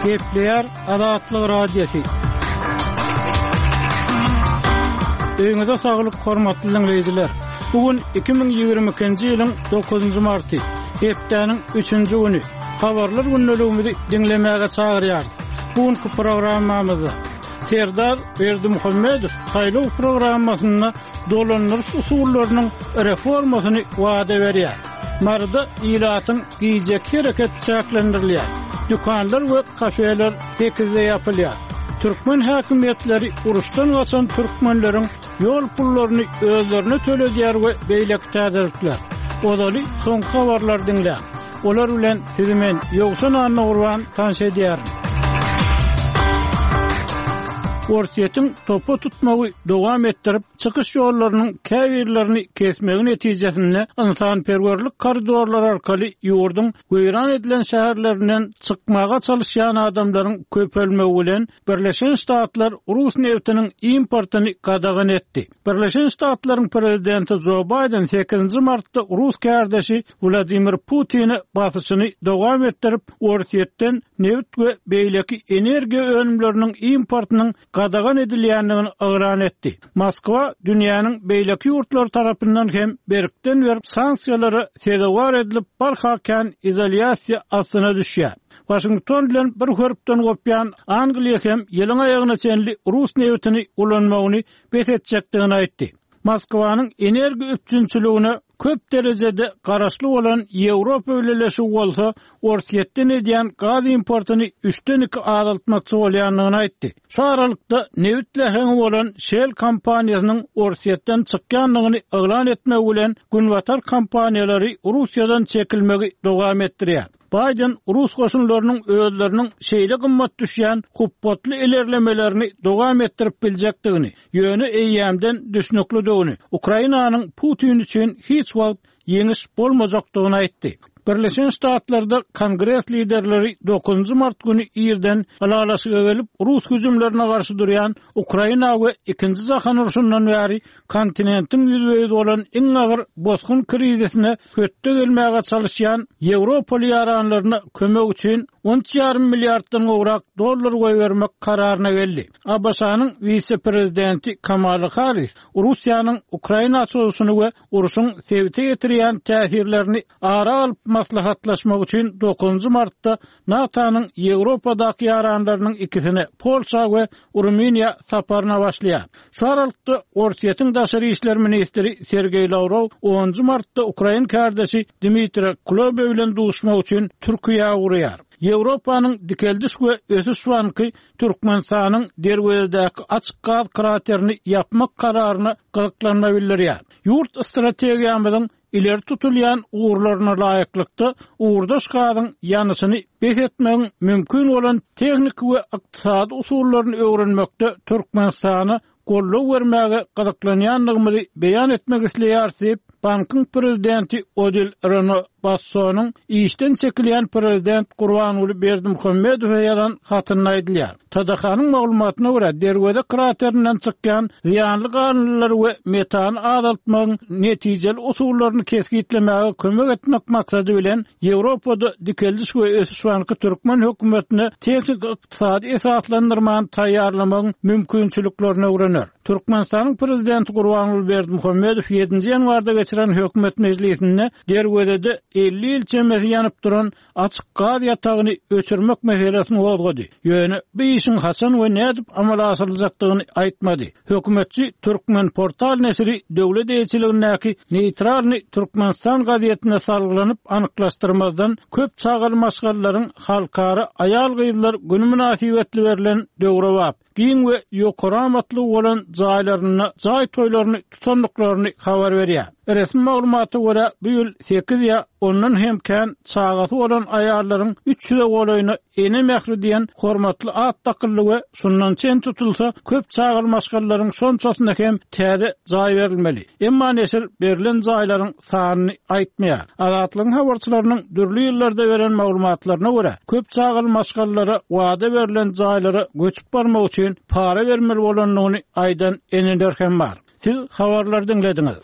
Gepleýär Azatlyk Radiosy. Öýüňize saglyk hormatly diňleýjiler. Bu gün 2022-nji ýylyň 9-njy marty, hepdäniň 3-nji güni. Habarlar gündeligimizi diňlemäge çagyrýarys. Bu günki programmamyzda Serdar Berdimuhamedow saýlaw programmasynda dolandyryş usullarynyň reformasyny wada berýär. Maryda ilatyň gijeki hereket çäklendirilýär. Dükanlar we kafeler sekizde ýapylýar. Türkmen häkimiýetleri uruşdan gaçan türkmenleriň ýol pullaryny özlerine töledýär we beýleki täzelikler. Ozaly soňky habarlary diňläň. Olar bilen sizi men, Ýowşan Annagurban tanyş edýärin. Orsýetiň topa tutmagy dowam etdirip, çykyş ýollarynyň käbirlerini kesmegi netijesinde ynsanperwerlik koridorlary arkaly ýurduň weýran edilen şäherlerinden çykmaga çalyşýan adamlaryň köpelmegi bilen Birleşen Ştatlar rus nebtiniň importyny gadagan etdi. Birleşen Ştatlaryň prezidenti Jo Baýden sekizinji martda rus kärdeşi Wladimir Putine basyşyny dowam etdirip, Orsýetden nebit we beýleki energiýa önümleriniň importynyň gadagan edilýändigini yglan etdi. Moskwa dünýäniň beýleki ýurtlary tarapyndan hem berkden-berk sanksiýalara sezewar edilip, barha kän izolýasiýa astyna düşýär. Waşington bilen bir hörpden gopýan Angliýa hem ýylyň aýagyna çenli rus nebitini ulanmagyny bes etjekdigini aýtdy. Moskwanyň energiýa üpjünçiligine köp derejede garaşly bolan Ýewropa Bileleşigi bolsa Orsýetden edýän gaz importyny üçden iki azaltmakçy bolýandygyny aýtdy. Şu aralykda, nebit läheňi bolan Shell kompaniýasynyň Orsýetden çykýandygyny yglan etmegi bilen, günbatar kompaniýalary Russiýadan çekilmegi dowam etdirýär. Baýden rus goşunlarynyň özleriniň şeýle gymmat düşýän hupbatly ilerlemelerini dowam etdirip biljekdigini, ýöne eýýämden düşnüklidigini, Ukrainanyň Putin üçin hiç wagt ýeňiş bolmajakdygyny aýtdy. Birleşen Ştatlarda Kongres liderleri dokuzynjy mart güni irden ylalaşyga gelip, rus hüjümlerine garşy durýan Ukraina we Ikinji jahan urşundan bäri kontinentiň ýüzbe-ýüz bolan iň agyr bosgun krizisine hötde gelmäge çalyşýan ýewropaly ýaranlaryna kömek üçin on üç ýarym milliarddan gowrak dollar goýbermek kararyna geldi. ABŞ-nyň wise-prezidenti Kamala Harris Russiýanyň Ukraina çozuşyny we urşuň sebite ýetirýän täsirlerini ara alyp maslahatlaşmak üçin dokuzynjy martda NATO-nyň Ýewropadaky ýaranlarynyň ikisine, Polşa we Rumyniýa saparyna başlaýar. Şu aralykda, Orsýetiň daşary işler ministri Sergeý Lawrow onunjy martda ukrain kärdeşi Dmitriý Kuleba bilen duşmak üçin Türkiýä ugraýar. Ýewropanyň Dikeldiş we ösüş banky Türkmenistanyň Derwezedäki açyk gaz kraterini ýapmak kararyna gyzyklanma bildirýär. Ýurt strategiýamyzyň ileri tutulýan ugurlaryna laýyklykda ugurdaş gazyň ýanyşyny bes etmegiň mümkin bolan tehniki we ykdysady usullaryny öwrenmekde Türkmenistana goldaw bermäge gyzyklanýandygymyzy beýan etmek isleýäris diýip, bankyň prezidenti Odil Reno Bassonyň işden çekilýän prezident Gurbanguly Berdimuhamedowa ýazan hatynda aýdylýar. TDH-nyň maglumatyna görä, Derweze kraterinden çykýan zyýanly galyndylary we metany azaltmagyň netijeli usullaryny kesgitlemäge kömek etmek maksady bilen, Ýewropada Dikeldiş we ösüş banky türkmen hökümetine tehniki-ykdysady esaslandyrmany taýýarlamagyň mümkinçiliklerini öwrener. Türkmenistanyň Prezidenti Gurbanguly Berdimuhamedow ýedinji ýanwarda geçiren hökümet mejlisinde Derwezede 50 ýyl çemesi ýanyp duran açyk gaz ýatagyny öçürmek meselesini gozgady. Ýöne bu işiň haçan we nädip amala aşyryljakdygyny aýtmady. Hökümetçi Türkmenportal neşiri döwlet eýeçiligindäki Neýtralnyý Türkmenistan gazetine salgylanyp anyklaşdyrmazdan köp çagaly maşgalalaryň Halkara aýal-gyzlar güni mynasybetli berlen döwrebap, giň we ýokary amatlygy bolan jaýlarynda jaý toýlaryny tutandyklaryny habar berýär. Resmi maglumata görä, bu ýyl sekiz ýa ondan hem kän çagasy bolan aýallaryň üç ýüze golaýyna Ene mähri diýen hormatly at dakyldy we şundan çen tutulsa, köp çagaly maşgalalaryň şonçasyna hem täze jaý berilmeli. Emma neşir berlen jaýlaryň sanyny aýtmaýar. Azatlygyň habarçylarynyň dürli ýyllarda beren maglumatlaryna görä, köp çagaly maşgalalara wada berlen jaýlara göçüp barmak üçin para bermeli bolandygyny aýdan eneler hem bar. Siz habarlary diňlediňiz.